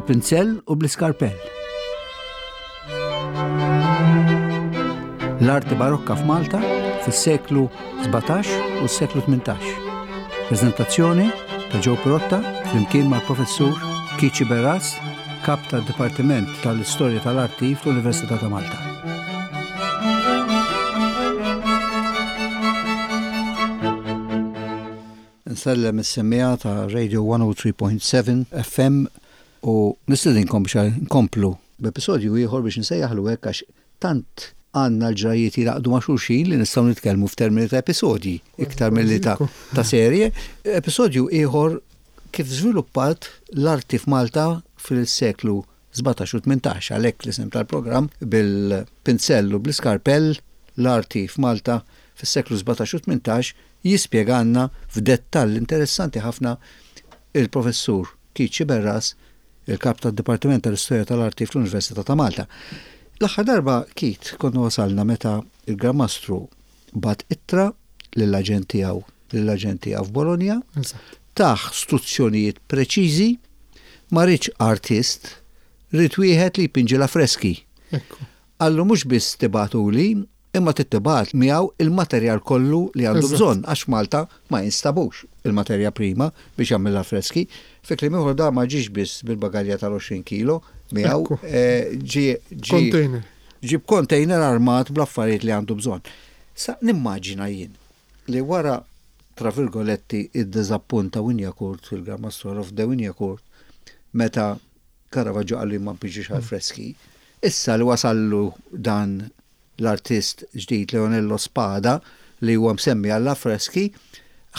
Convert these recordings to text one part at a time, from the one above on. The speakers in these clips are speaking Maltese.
Bil-pinzell u bl-iskarpell. L-arti barokka f'Malta fis-seklu 17 u s-seklu 18. Prezentazzjoni ta' Joe Pirotta flimkien mal-professur Kici Berras, kap tad-Dipartiment tal-Istorja tal-Arti fl-Università ta' Malta. Nsellem is-semmiegħa ta' Radio 103.7 FM u nistedinkom biex nkomplu b'episodju ieħor biex nsejjaħlu hekk għax tant għandna l-ġrajiet jilaqdu ma' xulxin li nistgħu nitkellmu f'termini ta' episodji iktar milli ta' ta' serje. Episodju ieħor kif żviluppat l-arti f'Malta fil-seklu 17 u 18 għalhekk l-isem tal-programm bil-pinzell u bl-iskarpell l-arti f'Malta fis-seklu 17 u 18 jispjegalna f'dettall interessanti ħafna il-Professur Keith Sciberras, il-Kap tad-Dipartiment tal-Istorja tal-Arti fl-Università ta' Malta. L-aħħar darba, Keith, konna wasalna meta il-Gran Mastru bagħat ittra lill-aġent tiegħu lill-aġent tiegħu f'Bologna, tah struzzjonijiet preċiżi, ma riedx artist, ried wieħed li jpinġi l-affreski. Qallu mhux biss tibgħatuli, Imma trid tibgħat miegħu il-materjal kollu li għandu bżonn għax f'Malta ma jinstabux il-materja prima biex jagħmel l-affreski. Fi kliem ieħor dan ma ġiex biss bil-bagalja tal-20 kilo miegħu, ġie ġie ġie b'container armat bl-affarijiet li għandu bżonn. Sa nimmaġina jien li wara tra virgoletti id-diżappunt ta' Wignacourt, il-Gran Mastru Olof de Wignacourt, meta Caravaggio qallu jien ma npinġix għall-freski, issa li wasallu dan l-artist ġdid Leonello Spada li huwa msemmi għall-affreski,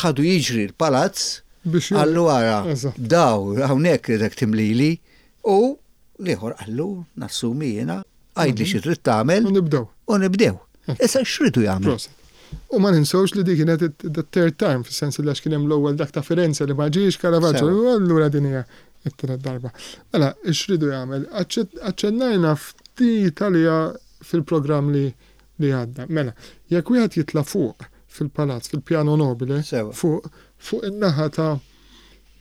ħadu jiġri l-palazz, qallu ara, daw hawnhekk ridek timlili u l-ieħor qallu nassumi jiena, għidli xi trid tagħmel. U nibdew. U nibdew. Issa x'ridu jagħmlu? U ma ninsewx li dik kienet the third time, fis-sens li għax kien hemm l-ewwel dak ta' Firenze li ma ġiex Caravaggio, allura din hija it-tielet darba. Mela, x'ridu jagħmel? Aċċennajna ftit għaliha fil-programm li li għadda. Mela, jekk wieħed jitla' fuq fil-palazz, fil-piano nobile, fuq fuq in-naħa ta'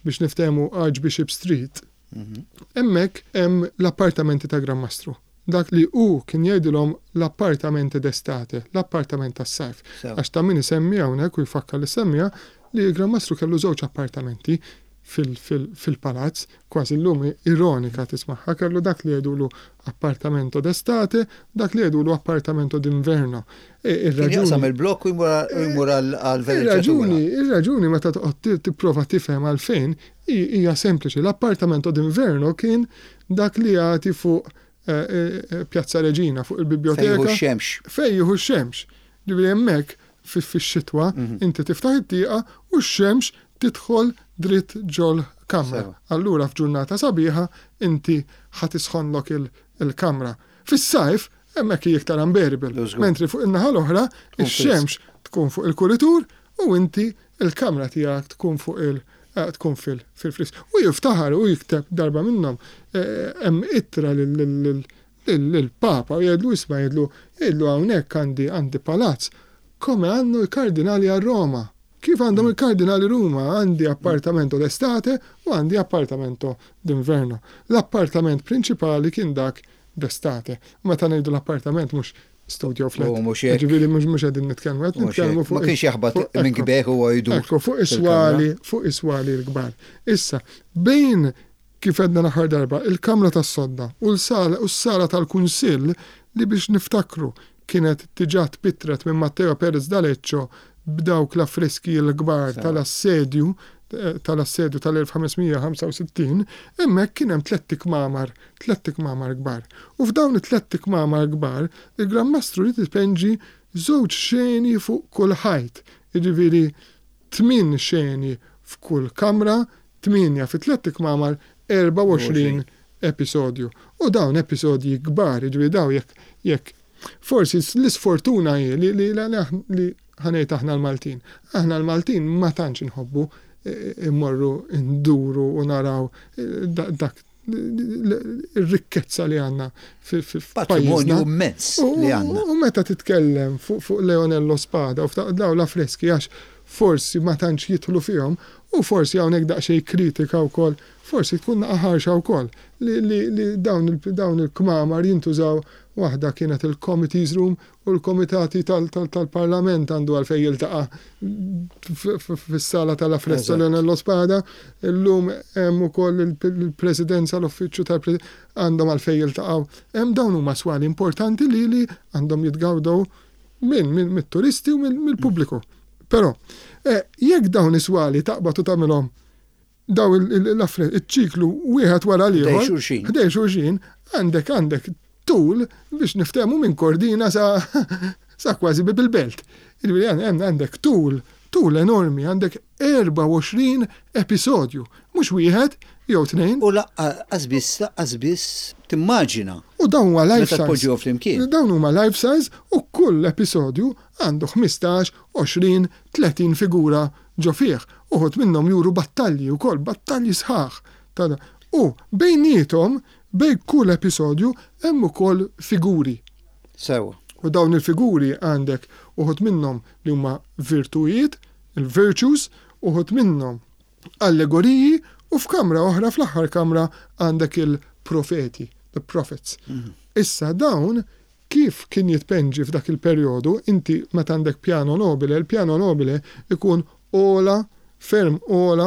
biex niftehmu Archbishop Street, mhm. hemmhekk hemm l-appartamenti ta' Gran Mastru. Dak li hu kien jgħidilhom l-appartamenti d'estate, l-appartament tas-sajf. Għax ta' min isemmi hawnhekk u jfakkar li semmija li l-Gran Mastru kellu żewġ appartamenti fil-palazz, kważi llum ironika tismagħha, kellu dak li jgħidulu appartamento d'estate, dak li jgħidulu appartamento d'inverno. Ir-raġuni. Jaqsam il-blokk u jmur għall-veleġġatura. Ir-raġuni meta toqgħod tipprova tifhem għalfejn hija sempliċi. L-appartamento d'inverno kien dak li jagħti fuq Piazza Regina, fuq il-biblioteka. Fejn jieħu x-xemx. Fejn jieħu x-xemx. Ġifieri hemmhekk fix-xitwa inti tiftaħ it-tieqa u x-xemx tidħol dritt ġol-kamra. Allura f'ġurnata sabiħa inti ħa tisħonlok il-kamra. Fis-sajf hemmhekk hi iktar unbearable. Mentri fuq in-naħa l-oħra ix-xemx tkun fuq il-kuritur u inti l-kamra tiegħek tkun fuq il tkun fil-friż. U jiftaħar u jikteb darba minnhom hemm ittra lill-Papa u jgħidlu isma' jgħidlu jgħidlu hawnhekk għandi għandi palazz come hanno i cardinali a Roma. Kif għandhom il-kardinali Ruma għandi appartamento d'estate u għandi appartamento d'inverno. L-appartament prinċipali kien dak d'estate. U meta ngħidu l-appartament mhux studio flat. U mhux hekk. Ġifieri mhux mhux qegħdin nitkellmu, qed nitkellmu fuq. Ma kienx jaħbat minn kbieħ huwa jdur. Ekku, fuq is-swali, fuq is-swali l-kbar. Issa, bejn kif għedna l-aħħar darba, il-kamra tas-sodda u s-sala tal-kunsill li biex niftakru kienet diġà tpittret minn Matteo Perez d'Aleccio b'dawk l-affreski l-kbar tal-assedju tal-assedju tal-1565, hemmhekk kien hemm tlett ikmamar, tlett ikmamar kbar. U f'dawn it-tlett ikmamar kbar, il-Gran Mastru ried ipenġi żewġ xeni fuq kull ħajt, jiġifieri tmien xeni f'kull kamra, tmienja fi tlett ikmamar, 24 episodju. U dawn episodji kbar, jiġifieri dawn jekk jekk forsi l-isfortuna hi li li li ħa ngħid aħna l-Maltin. Aħna l-Maltin ma tantx inħobbu immorru nduru u naraw dak ir-rikkezza li għandna f'pajjiżna. Patrimonju immens li għandna. U meta titkellem fuq Leonello Spada u dawn l-affreski għax. forsi ma tantx jidħlu fihom u forsi hawnhekk daqsxejn kritika wkoll, forsi tkun naqa' ħarxa wkoll li li li dawn dawn il-kmamar jintużaw waħda kienet il-committees room u l-komitati tal-Parlament għandu għalfejn jiltaqa' fis-sala tal-Affresto Leonello Spada, illum hemm ukoll il-Presidenza, l-Uffiċċju tal-Presidenza għandhom għalfejn jiltaqgħu. Hemm dawn huma swali importanti li li għandhom jitgawdew minn mit-turisti u mill-pubbliku. Però, eh, jekk dawn is-swali taqbad u tagħmilhom daw l-affarijiet, iċ-ċiklu wieħed wara l-ieħor. Ħdejn xulxin, għandek għandek tul biex niftehmu minn Kordina sa sa kważi bib il-belt. Jiġifieri għandek tul, tul enormi, għandek 24 episodju, mhux wieħed jew tnejn. U laqqas biss, laqqas biss timmaġina. U dawn huma life size. Meta tpoġġuhom flimkien. Dawn huma life size u kull episodju għandu 15, 20, 30 figura ġo fih. Uħud minnhom juru battalji wkoll, battalji sħaħ ta' U bejniethom, bejn kull episodju hemm ukoll figuri. Sewwa. U dawn il-figuri għandek uħud minnhom li huma virtujiet, il-virtues, uħud minnhom allegoriji u f'kamra oħra, fl-aħħar kamra għandek il-profeti, the prophets. Issa dawn Kif kien jitpenġi f'dak il-perjodu, inti meta għandek piano nobile, il-piano nobile ikun ogħla, ferm ogħla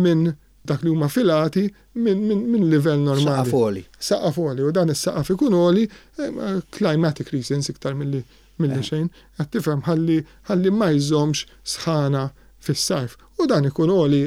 minn dak li huma filati minn min, min livell normali. Saqaf għoli. Saqaf għoli, u dan is-saqaf ikun għoli eh, climatic reasons iktar milli milli eh. xejn, qed tifhem ħalli ħalli ma jżommx sħana fis-sajf. U dan ikun għoli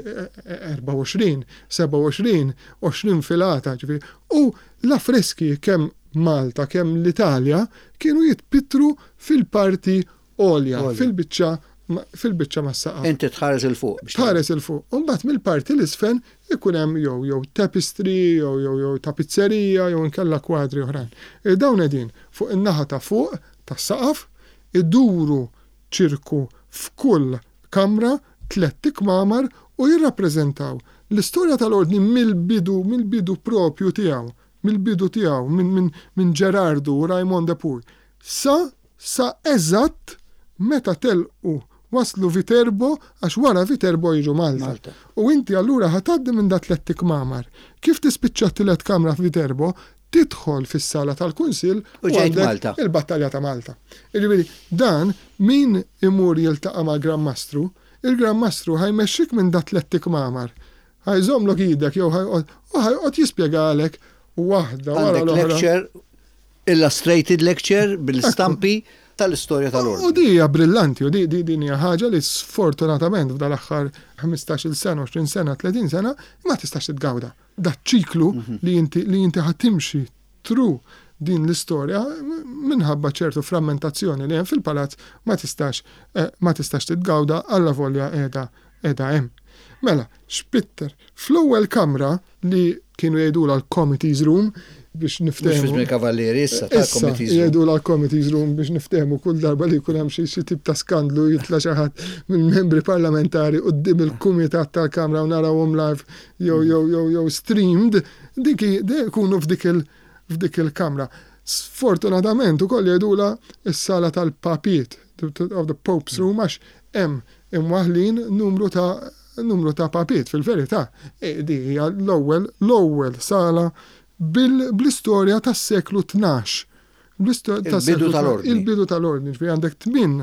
24, 27, 20 filata, ġifieri. U l-affreski kemm Malta kemm l-Italja kienu jitpittru fil-parti għolja, fil-biċċa fil-biċċa mas-saqaf. Inti tħares 'il fuq. Tħares 'il fuq. U mbagħad mill-parti 'l isfel ikun hemm jew jew tapestry jew jew jew tapizzerija jew inkella kwadri oħrajn. E dawn qegħdin fuq in-naħa ta' fuq tas-saqaf, iduru ċirku f'kull kamra, tlett ikmamar u jirrappreżentaw l-istorja tal-Ordni mill-bidu mill-bidu propju tiegħu mill-bidu tiegħu, minn minn minn Ġerardu u Raymond de Puy, sa sa eżatt meta telqu waslu Viterbo għax wara Viterbo jiġu Malta. Malta. U inti allura ħa tgħaddi minn da tlett ikmamar. Kif tispiċċa t-tielet kamra f'Viterbo, tidħol fis-sala tal-Kunsill U ġejt għandek Malta. il-Battalja ta' Malta. Jiġifieri dan min imur jiltaqa' mal-Gran Mastru, il-Gran Mastru ħa jmexxik minn da tlett ikmamar. Ħa jżommlok idek jew ħa joqgħod u ħa joqgħod jispjegalek waħda wara l-oħra. Għandek lecture, illustrated lecture bil-stampi tal-istorja tal-Ordni. U di hija brillanti u di din hija ħaġa li sfortunatament f'dal-aħħar 15-il sena, 20 sena, 30 sena ma tistax titgawda. Dat-ċiklu li inti li inti ħa timxi through din l-istorja minħabba ċertu frammentazzjoni li hemm fil-palazz ma tistax eh, ma tistax titgawda allavolja qiegħda qiegħda hemm. Mela, x'pitter? Fl-ewwel kamra li kienu jgħidulha l-committees room biex niftehmu. Mhux fi Kavallieri issa tal-committees room. Jgħidulha l-committees room biex niftehmu kull darba li jkun hemm xi tip ta' skandlu jitla' xi ħadd mill-membri parlamentari quddiem il-kumitat tal-Kamra u narawhom live jew jew jew jew streamed, dik ikunu f'dik il f'dik il-kamra. Sfortunatament ukoll jgħidulha s-sala tal-papiet, of the Pope's room għax hemm imwaħħlin numru ta' numru ta' papiet. Fil-verità, di hija l-ewwel l-ewwel sala bil bl-istorja tas-seklu 12. Il-bidu tal-ordni. Il-bidu tal-ordni, ġifieri għandek tmien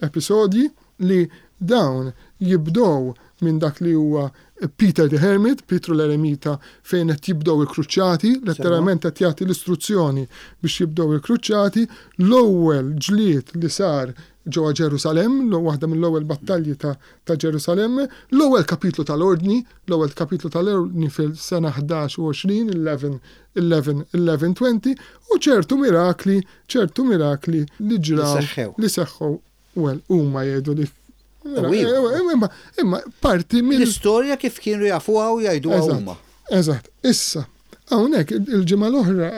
episodji li dawn jibdew minn dak li huwa Peter the Hermit, Pietru l-Eremita, fejn qed jibdew il-kruċjati, letteralment qed jagħti l-istruzzjoni biex jibdew il-kruċjati, l-ewwel ġlied li sar ġewwa Ġerusalemm, waħda mill-ewwel battalji ta' ta' Ġerusalemm, l-ewwel kapitlu tal-Ordni, l-ewwel kapitlu tal-Ordni fil-sena 11 u 20, 11, 11, 11, 20, u ċertu mirakli, ċertu mirakli li ġraw, li seħħew, well, huma jgħidu li Imma, imma parti mill. L-istorja kif kienu jafuha u jgħiduha huma. Eżatt. Issa, hawnhekk il-ġimgħa l-oħra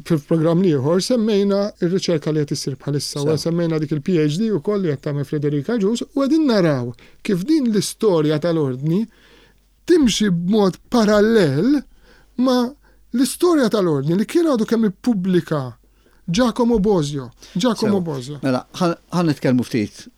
fil-programm l-ieħor semmejna r-riċerka li qed issir bħalissa u semmejna dik il-PhD ukoll li qed tagħmel Frederika Agius u qegħdin naraw kif din l-istorja tal-Ordni timxi b'mod parallel ma' l-istorja tal-Ordni li kien għadu kemm ippubblika Giacomo Bosio. Giacomo Bosio. Mela, ħa nitkellmu ftit.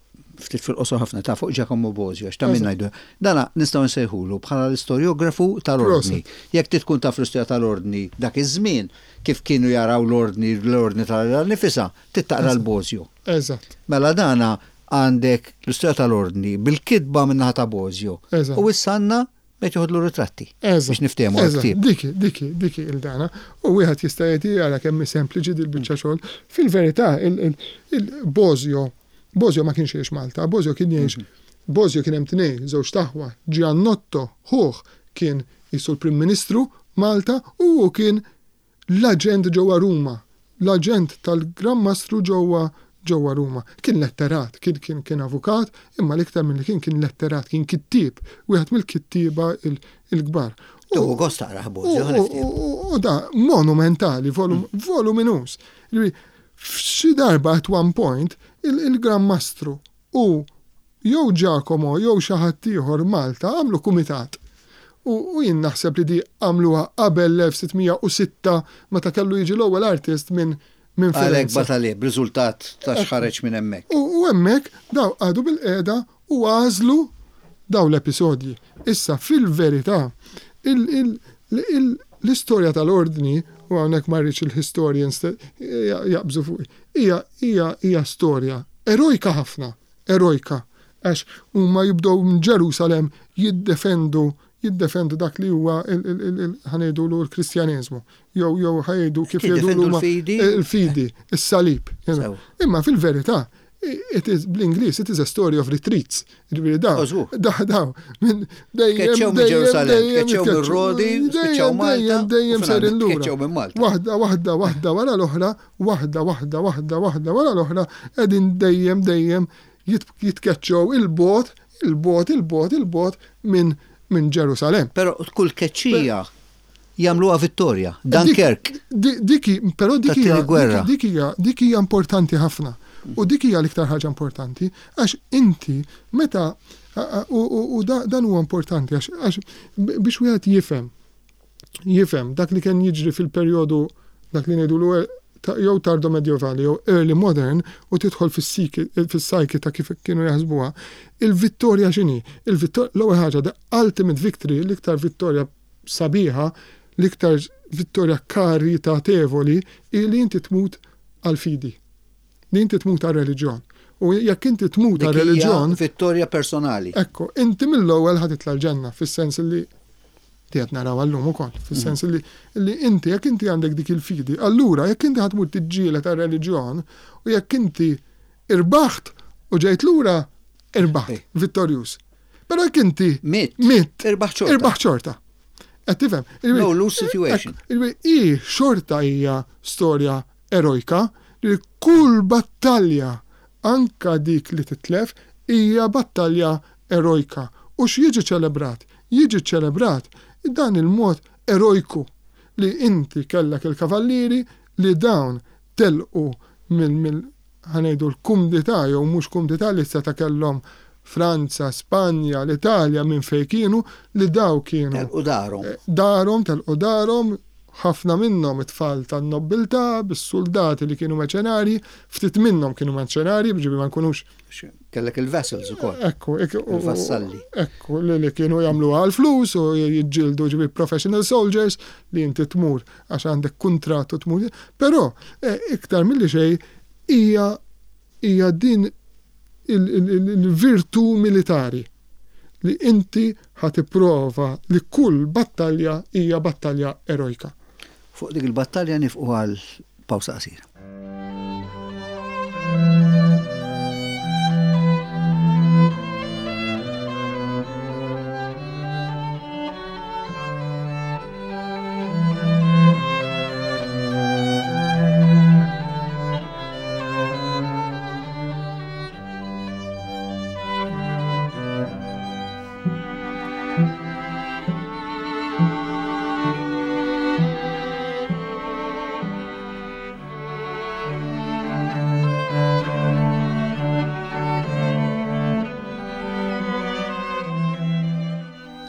ftit fil-qosor ħafna ta' fuq Giacomo Bosio, għax ta' min ngħidu. Dana nistgħu nsejħulu bħala l-istorjografu tal-Ordni. Jekk trid tkun taf l-istorja tal-Ordni dak iż-żmien, kif kienu jaraw l-Ordni, l-Ordni tal-Alla nnifisha, trid taqra l-Bosio. Eżatt. Mela dana għandek l-istorja tal-Ordni bil-kitba min-naħa ta' Bosio. U issa għandna Qed joħodlu ritratti. Eżatt. Biex niftehmu għall-ktieb. Dik, dik, dik il-dana. U wieħed jista' jgħid jara kemm hi sempliċi dil-biċċa xogħol. Fil-verità, il-Bosio, Bosio ma kienx jgħix Malta, Bosio kien jgħix, Bosio kien hemm tnejn, żewġt aħwa, Giannotto, ħuh, kien qisu l-Prim Ministru Malta u hu kien l-aġent ġewwa Ruma, l-aġent tal-Gran Mastru ġewwa ġewwa Ruma. Kien letterat, kien kien kien avukat, imma l-iktar milli kien kien letterat, kien kittieb, wieħed mill-kittieba l-kbar. Tieħu gost taqrah Bozio, ħa niftehmu. U da monumentali, volum, voluminuż. Jiġifieri, f'xi darba at one point il-Gran Mastru U jew Giacomo jew xi ħadd ieħor Malta għamlu kumitat. U, u jien naħseb li di għamluha qabel l-1606 meta kellu jiġi l-ewwel artist minn minn Għalhekk Firenze. bagħat għalih b'riżultat ta' x'ħareġ minn hemmhekk. U, u hemmhekk daw qagħdu bilqiegħda u għażlu daw l-episodji. Issa fil-verità il, il, il, l-istorja tal-Ordni, u hawnhekk ma rridx il-historians jaqbżu fuqi, Hija, hija, hija storja erojka ħafna, erojka, għax huma jibdew minn Ġerusalemm jiddefendu, jiddefendu dak li huwa il, il, il, il, ħa ngħidulu l-Kristjaneżmu, jew, jew ħa jgħidu kif jgħidulu Jiddefendu huma l-fidi. il-fidi, is-salib. Sew. Imma fil-verità, it is, bl-Ingliż, it is a story of retreats. Ġifieri daw, daw, daw, minn dejjem. Tkeċċew minn Ġerusalemm, tkeċċew minn Rodi, spiċċaw Malta. Dejjem sejrin lura. Tkeċċew minn Malta. Waħda, waħda, waħda wara l-oħra, waħda, waħda, waħda, waħda wara l-oħra, qegħdin dejjem, dejjem jitkeċċew il-bogħod, il-bogħod, il-bogħod, il-bogħod minn minn Ġerusalemm. Però kull tkeċċija jagħmluha vittorja. Dunkerque. Dik, però dik hija dik hija dik hija importanti ħafna. U dik hija l-iktar ħaġa importanti għax inti meta u dan huwa importanti għax biex wieħed jifhem jifhem dak li kien jiġri fil-perjodu dak li ngħidulu jew tardo medjevali jew early modern u tidħol fis-psyche ta' kif kienu jaħsbuha, il-vittorja x'inhi? Il-vittorja l-ewwel ħaġa the ultimate victory, l-iktar vittorja sabiħa, l-iktar vittorja karitatevoli hi li inti tmut għall-fidi. Li inti tmut għar-reliġjon. U jekk inti tmut għar-reliġjon. Vittorja personali. Ekku, inti mill-ewwel ħa titla' l-ġenna, fis-sens li qed naraw għallum ukoll, fis-sens li li inti jekk inti għandek dik il-fidi, allura jekk inti ħa tmur tiġġieled għar-reliġjon u jekk inti irbaħt u ġejt lura, irbaħt, vittorjuż. Però jekk inti mitt, mitt, irbaħ xorta. Irbaħ xorta. Qed tifhem? No lose situation. I xorta hija storja erojka li kull battalja anka dik li titlef hija battalja erojka. U x'jiġi ċelebrat? Jiġi ċelebrat dan il-mod erojku li inti kellek il-kavallieri li dawn telqu mill ħa ngħidu l-kumdità jew mhux kumdità li seta' kellhom Franza, Spanja, l-Italja minn fejn kienu li daw kienu. Telqu darhom. Darhom, telqu darhom, ħafna minnhom it-tfal tan-nobbiltà, bis-suldati li kienu meċenarji, ftit minnhom kienu meċenarji, ġifieri ma nkunux. Kellek il-vassals ukoll. Ekku, il-vassalli. Ekku, li kienu jagħmluha għall-flus u jiġġieldu ġifieri professional soldiers li inti tmur għax għandek kuntratt u tmur. Però iktar milli xejn hija hija din il-virtù militari li inti ħa tipprova li kull battalja hija battalja erojka. Fuq dik il-battalja nifqu għal pawsa qasira.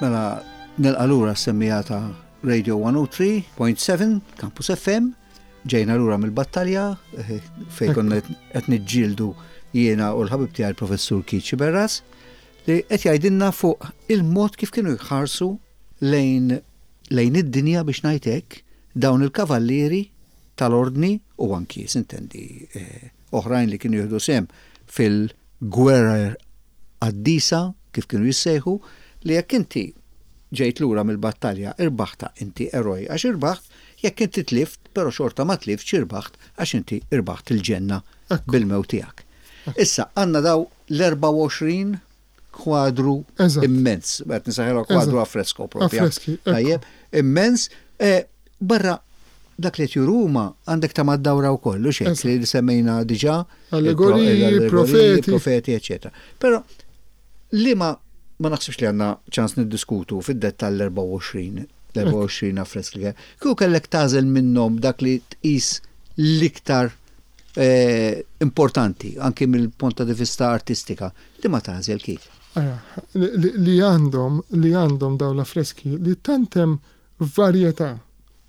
Mela, nilqa' lura s-semmija ta' Radio 103.7 Campus FM, ġejna lura mill-battalja eh, fejn konna qed niġġieldu. Jiena u l-ħabib tiegħi l-Professur Keith Sciberras li qed jgħidilna fuq il-mod kif kienu jħarsu lejn lejn id-dinja biex ngħid hekk dawn il-kavallieri tal-Ordni u anki sintendi oħrajn li kienu jieħdu sehem fil-gwerer qaddisa kif kienu jissejħu li jekk inti ġejt lura mill-battalja irbaħtha inti eroj għax irbaħt, jekk inti tlift però xorta ma tliftx irbaħt għax inti irbaħt il-ġenna bil-mewt tiegħek. Issa għandna daw l-24 kwadru immens, qed nisaħilha kwadru affresko propja. Tajjeb, immens, eh, barra dak li qed juru huma għandek ta' mad-dawra wkoll, u xejn li semmejna diġà. Allegoriji, profeti. Profeti, eċetera. Però li ma ma naħsibx li għandna ċans niddiskutu fid-dettall l-24 l-24 affresk li Kieku kellek tagħżel minnhom dak li tqis l-iktar eh, importanti anki mill-punt ta' vista artistika, li ma tagħżel kif? Li għandhom li għandhom dawn l-affreski li tant hemm varjetà,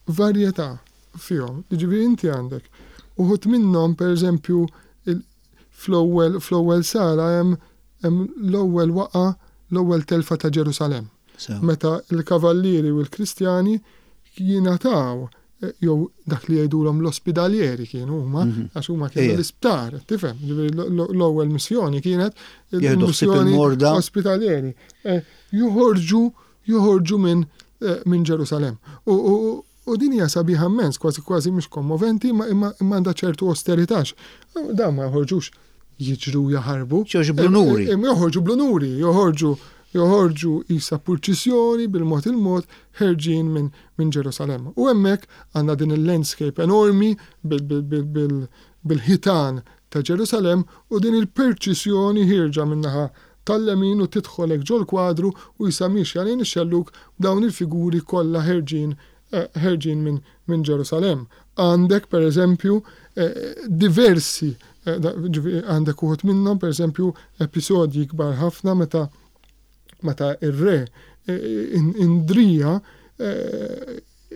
varjetà fihom. Jiġifieri inti għandek uħud minnhom pereżempju fl-ewwel fl-ewwel sala hemm hemm l-ewwel waqa' l-ewwel telfa ta' Ġerusalemm. Meta l-kavallieri u l-Kristjani jingħataw jew dak li jgħidulhom l-ospidalieri kienu huma, mhm. għax huma kienu l-isptar, tifhem, l-ewwel missjoni kienet il-missjoni ospitalieri. Eh, joħorġu joħorġu minn eh, minn Ġerusalemm. U din hija sabiħa immens, kważi kważi mhux kommoventi, imma għandha ċertu austerità. Dan ma joħorġux jiġru jaħarbu. Joħorġu bl-unuri. Eh, joħorġu bl-unuri, joħorġu joħorġu isa purċissjoni bil-mod il-mod ħerġin minn min Ġerusalemm. U hemmhekk għandna din il-landscape enormi bil-ħitan ta' Ġerusalemm u din il-perċissjoni ħierġa min-naħa tal-lemin u tidħol hekk ġol-kwadru u jisa miexja lejn ix-xellug b'dawn il-figuri kollha ħerġin ħerġin minn minn Ġerusalemm. Għandek per eżempju diversi għandek uħud minnhom per eżempju episodji kbar ħafna meta meta ir-re Indrija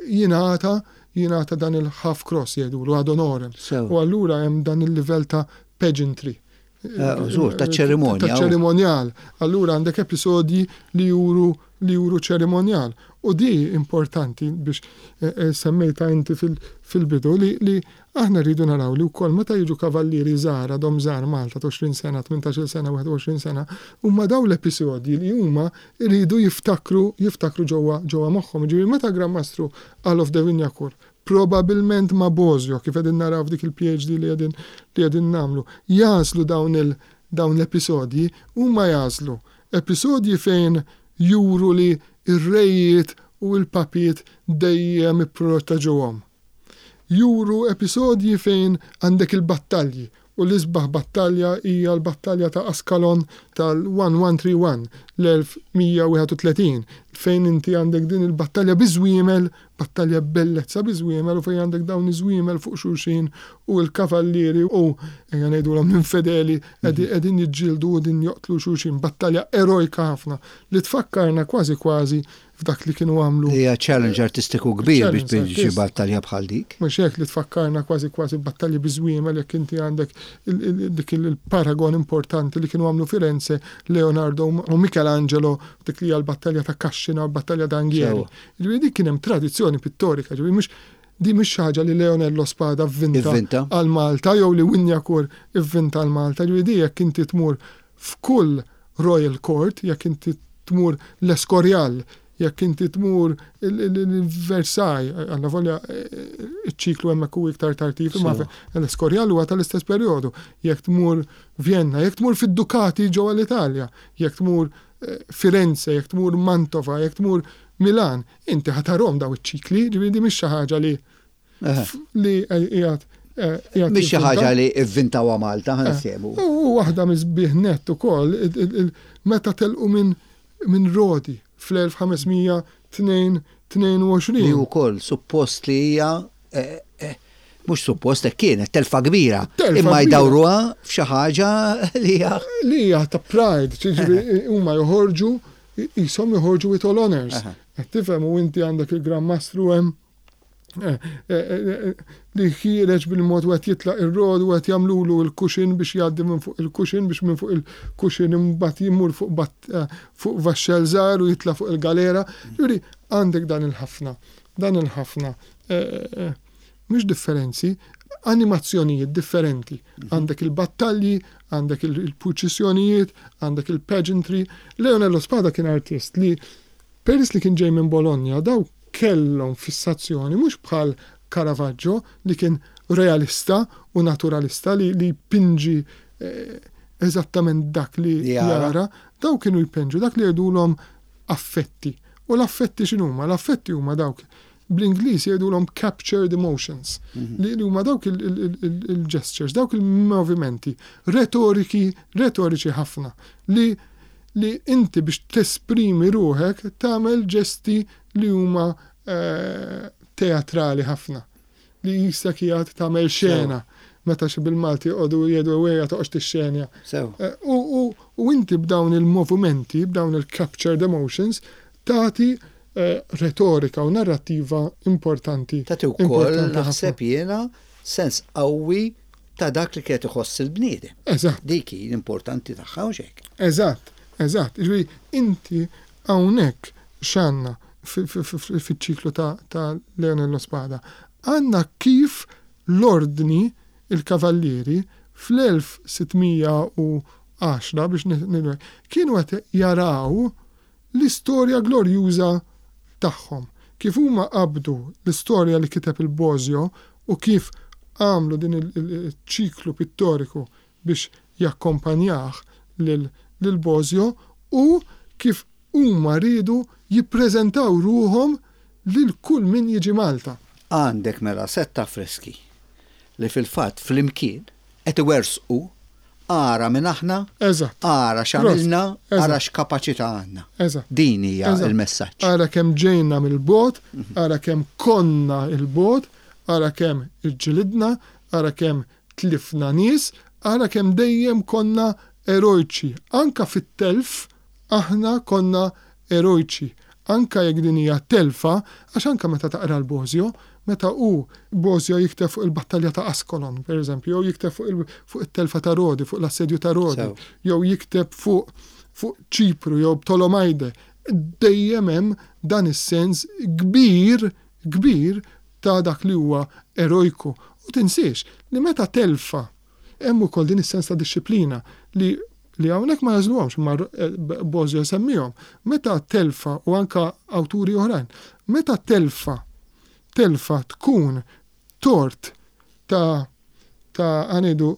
jingħata jingħata dan il-half cross jgħidulu ad honorem. U allura hemm dan il-livell ta' pageantry. Żgur, ta' ċerimonja. Ta' ċerimonjal. Allura għandek episodji li juru li juru ċerimonjal. U di importanti biex eh, eh, semmejta inti fil-bidu li, li aħna rridu naraw li wkoll meta jiġu kavallieri żgħar għadhom żgħar Malta ta' 20 sena, 18 sena, 21 sena, huma daw l-episodji li huma rridu jiftakru jiftakru ġewwa ġewwa moħħhom. Ġifieri meta Gran Mastru Alof de Wignacourt Probabilment ma' Bosio, kif qegħdin naraw f'dik il-PhD li qegħdin li qegħdin nagħmlu, jagħżlu dawn il dawn l-episodji, huma jagħżlu episodji fejn juru li r-rejiet u l-papiet dejjem ipproteġuhom. Juru episodji fejn għandek il-battalji U l-isbaħ battalja hija l-battalja ta' Ascalon tal-1131, l-1131, fejn inti għandek din il-battalja biż-żwiemel, battalja b'bellezza biż-żwiemel u fejn għandek dawn iż-żwiemel fuq xulxin u l-kavallieri u, ejja ngħidulhom l-infedeli qegħdin jiġġieldu u qegħdin joqtlu xulxin. Battalja erojka ħafna li tfakkarna kważi kważi f'dak li kienu għamlu. Hija challenge artistiku kbir biex tpoġġi xi battalja bħal dik. Mhux hekk li tfakkarna kważi kważi battalji biż-żwiemel jekk inti għandek dik il-paragon importanti li kienu għamlu Firenze Leonardo u Michelangelo dik li hija l-battalja ta' Cascina u l-battalja ta' Anghieri. Ġifieri dik kien hemm tradizzjoni pittorika, ġifieri mhux di mhux xi ħaġa li Leonello Spada vvinta għal Malta jew li Wignacourt ivvinta għal Malta, ġifieri di jekk inti tmur f'kull Royal Court, jekk inti tmur l-Escorial, jekk inti tmur il-Versailles, allavolja iċ-ċiklu hemmhekk hu iktar tard, imma l-Escorial huwa tal-istess perjodu, jekk tmur Vienna, jekk tmur fid-Dukati ġewwa l-Italja, jekk tmur eh, Firenze, jekk tmur Mantova, jekk tmur Milan, inti ħa tarhom daw iċ-ċikli, ġifieri di mhix xi ħaġa li li qiegħed Mhix xi ħaġa li vvintawha Malta ħa niftehmu. U waħda mis-sbieħ nett ukoll meta telqu minn minn Rodi fl-1522. Li wkoll suppost li hija mhux suppost hekk kienet telfa kbira. Imma jdawruha f'xi ħaġa li hija. Li hija ta' pride, ġifieri huma joħorġu qishom joħorġu with all honours. Qed tifhem u inti għandek il-Gran Mastru hemm. Eh, eh, eh, li ħiereġ bil-mod u qed jitlaq ir-rod u qed jagħmlulu l-kuxin biex jgħaddi minn fuq il-kuxin biex minn fuq il-kuxin imbagħad jimur fuq fuq vaxxel żgħar u jitla' fuq il-galera. Jiġifieri għandek dan il-ħafna, dan il-ħafna mhux differenzi, animazzjonijiet differenti. Għandek il-battalji, għandek il-purċissjonijiet, għandek il-pageantry. Leonello Spada kien artist li Peress li kien ġej minn Bologna, daw kellhom fissazzjoni mhux bħal Caravaggio li kien realista u naturalista li li jpinġi eżattament dak li jara, daw kienu jpinġu dak li jgħidulhom affetti. U l-affetti x'inhuma? L-affetti huma dawk bl-Ingliż jgħidulhom captured emotions, li huma dawk il-gestures, dawk il-movimenti retoriki, retoriċi ħafna li li inti biex tesprimi ruħek tagħmel ġesti li huma teatrali ħafna. Li jisek qiegħed tagħmel xena. Meta xi bil-Malti jqogħdu jgħidu ejja toqgħodx tixxenja. U inti b'dawn il-movimenti, b'dawn il-captured emotions, tagħti retorika u narrattiva importanti. Tagħti wkoll naħseb jiena sens qawwi ta' dak li kienet iħoss il-bniedem. Eżatt. Dik hi l-importanti tagħha hux hekk? Eżatt, eżatt. Jiġifieri inti hawnhekk x'għandna fiċ-ċiklu ta' Leonello Spada? Għandna kif l-ordni il-kavallieri fl-1610 biex kienu qed jaraw l-istorja glorjuża tagħhom, kif huma qabdu l-istorja li kiteb il-Bosio u kif għamlu din iċ-ċiklu pittoriku biex jakkompanjah lil Bosio u kif huma riedu jippreżentaw ruħhom lil kull min jiġi Malta. Għandek mela sett ta' affreski li fil-fatt flimkien qed iwerżqu ara min aħna, ara x'għamilna, ara x'kapaċità għandna. Din hija l-messaġġ. Ara kemm ġejna mill-bogħod, ara kemm konna 'l bogħod, ara kemm iġġilidna, ara kemm tlifna nies, ara kemm dejjem konna erojċi. Anke fit-telf aħna konna erojċi, anke jekk din hija telfa, għax anke meta taqra l-Bosio, meta hu, Bosio jikteb fuq il-battalja ta' Ascolon, per eżempju, jew jikteb fuq fuq it-telfa ta' Rodi, fuq l-assedju ta' Rodi, jew jikteb fuq fuq Ċipru jew Ptolomajde, dejjem hemm dan is-sens kbir, kbir ta' dak li huwa erojku. U tinsiex li meta telfa hemm ukoll din is-sens ta' dixxiplina li li hawnhekk ma jagħżluhomx imma Bosio jsemmihom, meta telfa u anke awturi oħrajn, meta telfa telfa tkun tort ta' ta' ħa ngħidu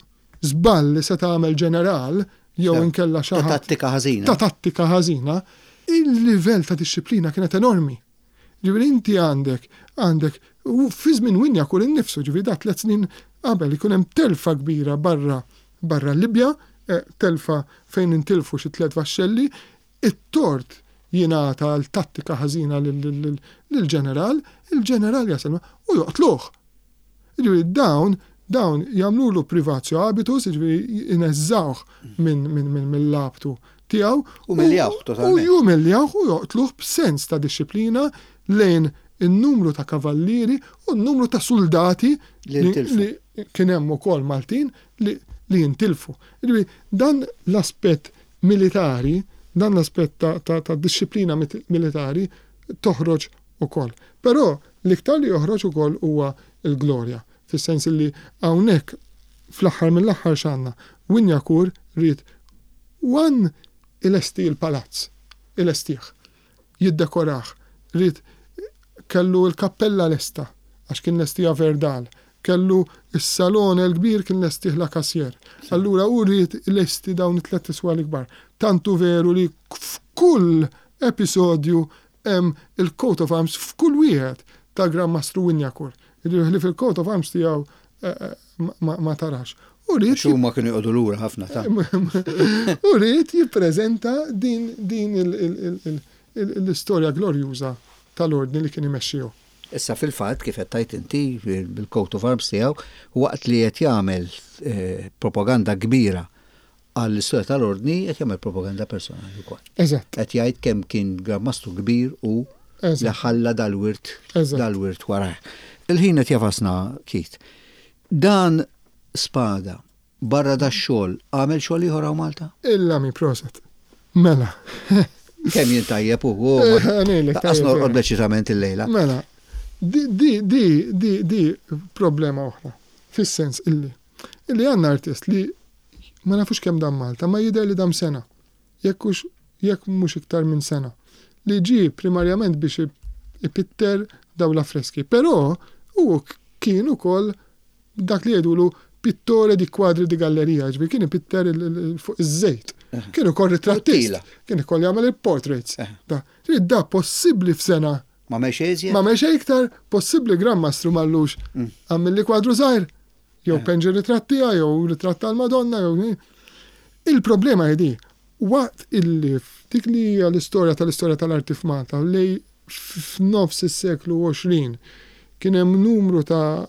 żball li seta' għamel ġeneral jew inkella xi ħadd. Ta' tattika ħażina. Ta' tattika ħażina, il-livell ta' dixxiplina kienet enormi. Ġifieri inti għandek, għandek, u fi żmien Wignacourt innifsu, ġifieri da tliet snin qabel, ikun hemm telfa kbira barra, barra l-Libja, telfa fejn intilfu xi tliet vaxxelli, it-tort jingħata għal tattika ħażina lill-ġeneral, il-ġeneral jasal u joqtluh. Jiġifieri dawn dawn jagħmlulu privatio habitus, jiġifieri jneżżgħuh minn minn mill-labtu tiegħu. Umiljawh totalment. U jumiljawh u joqtluh b'sens ta' dixxiplina lejn in-numru ta' kavallieri u n-numru ta' suldati li kien hemm ukoll Maltin li li jintilfu. Jiġifieri dan l-aspett militari, dan l-aspett ta' ta' ta' dixxiplina militari toħroġ ukoll. Però l-iktar li joħroġ ukoll huwa l-glorja, fis-sens li hawnhekk fl-aħħar mill-aħħar x'għandna? Wignacourt ried one ilesti l-palazz, ilestih, jiddekorah, ried kellu l-kappella lesta għax kien lestiha Verdal, kellu s-salone l-kbir kien lestih Lacassière. Allura hu ried ilesti dawn it-tlett iswali kbar. Tant hu veru li f'kull episodju Hemm il-coat of arms f'kull wieħed ta' Gran Mastru Wignacourt. Jiġifieri ħlief il-coat of arms tiegħu ma tarax. U ried. Għax huma kienu joqogħdu lura ħafna ta'. U ried jippreżenta din l-istorja glorjuża tal-Ordni li kien imexxi hu. Issa fil-fatt, kif qed tgħid inti, bil-coat of arms tiegħu, waqt li qed jagħmel propaganda kbira għall-istorja tal-Ordni qed jagħmel propaganda personali wkoll. Eżatt. Qed jgħid kemm kien Gran Mastru kbir u li ħalla dal-wirt dal-wirt warajh. Il-ħin qed jafasna Keith. Dan Spada, barra dax-xogħol, għamel xogħol ieħor hawn Malta? Il-lami proset. Mela. Kemm jien tajjeb u Lanqas norqod bl-eċitament illejla. Mela, di di di di di problema oħra. Fis-sens illi illi għandna artist li ma nafux kemm dam Malta, ma jidher li dam sena. Jekk hux jekk mhux iktar minn sena. Li ġie primarjament biex ipitter dawn l-affreski. Però hu kien ukoll dak li jgħidulu pittore di quadri di galleria, ġifieri kien ipitter fuq iż-żejt. Kien ukoll ritrattist. Kien ukoll jagħmel il-portraits. Da, da possibbli f'sena. Ma għamel xejn iżjed? Ma għamel xejn iktar, possibbli Gran Mastru m'għallux għamilli kwadru żgħir, jew penġi ritratt tiegħi, jew ritratt tal-Madonna, jew. Il-problema hi di, waqt illi f'dik li hija l-istorja tal-istorja tal-arti f'Malta, li f'nofs is-seklu 20 kien hemm numru ta'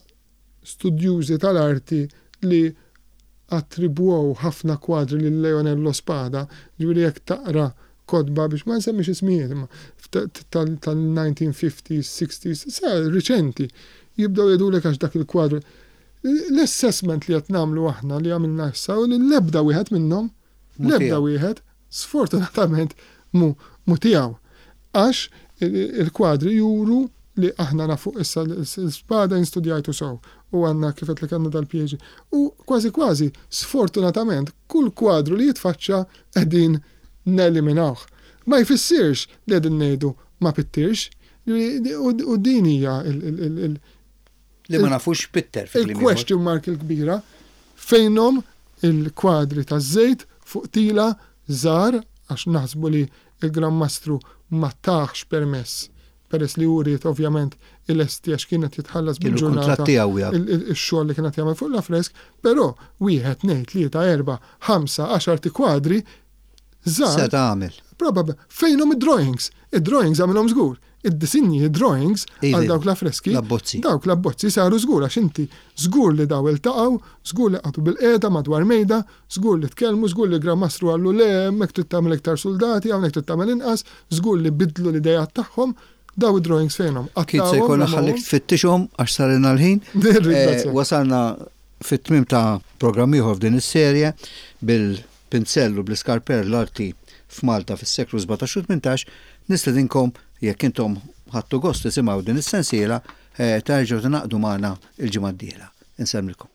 studjużi tal-arti li attribwew ħafna kwadri lil Leonello Spada, jiġifieri jekk taqra kotba biex ma nsemmix ismijiet imma tal-1950s, 60s, sa riċenti, jibdew jgħidulek għax dak il-kwadru. L-assessment li qed nagħmlu aħna li għamilna issa hu li l-ebda wieħed minnhom, l-ebda wieħed, sfortunatament mhu mhu tiegħu. Għax il-kwadri juru li aħna nafu issa l-Spada jien studjajtu sew u għandna kif għedtlek għandna dal-PhD. U kważi kważi sfortunatament kull kwadru li jitfaċċa qegħdin neliminawh. Ma jfissirx li qegħdin ngħidu ma pittirx u din hija il Li ma nafux x'pitter fi kliem ieħor. Il-question mark il-kbira, fejnhom il-kwadri taż-żejt fuq tila żgħar għax naħsbu li l-Gran Mastru ma tahx permess peress li hu ried ovvjament ilesti għax kien qed jitħallas bil-ġurnata ix-xogħol li kien qed jagħmel fuq l-affresk, però wieħed, tnejn, tlieta, erbgħa, ħamsa, għaxart ikwadri żgħar. Seta' għamel. Probabbli. Fejnhom id-drawings? Id-drawings għamilhom żgur. Id-disinji, id-drawings għal dawk l-affreski. L-abbozzi. Dawk l-abbozzi saru żgur għax inti żgur li daw iltaqgħu, żgur li qagħdu bilqiegħda madwar mejda, żgur li tkellmu, żgur li l-Gran Mastru qallu le hemmhekk trid tagħmel iktar suldati, hawnhekk trid tagħmel inqas, żgur li biddlu l-ideat tagħhom. Daw id-drawings fejnhom? Kit se jkollna ħallik tfittixhom għax sarilna l-ħin. Wasalna fit-tmiem ta' programm ieħor f'din is-serje bil pinzell u bl-iskarper l-arti f'Malta fis-seklu 17 u 18, nistedinkom jekk intom ħadtu gost tisimgħu din is-sensiela, terġgħu tingħaqdu magħna l-ġimgħa d-dieħla. Insellmilkom.